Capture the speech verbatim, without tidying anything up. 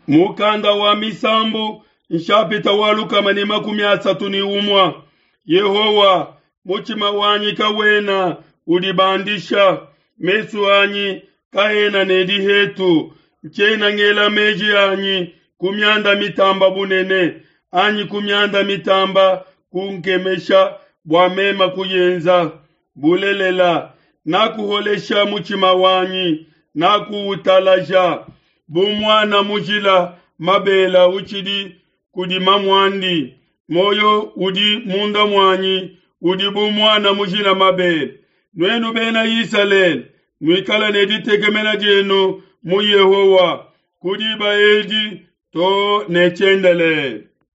Mukanda wa Misambu nshapita wa lukama ne makumi asatu ne umue. Yehowa, mutshima wanyi kawena udibandisha, mesu anyi kaena ne dihetu. Ntshiena ngela meji anyi ku mianda mitamba bunene, anyi ku mianda mitamba kunkemesha bua meme kuyenza. Bulelela, nakuholesha mutshima wanyi, nakuutalaja. Bu muana mujila mabele utshidi kudi mamuandi, muoyo udi munda muanyi udi bu muana mujila mabele. Nuenu Bena Isalele, nuikale ne ditekemena dienu mu Yehowa ku diba edi to ne tshiendelele.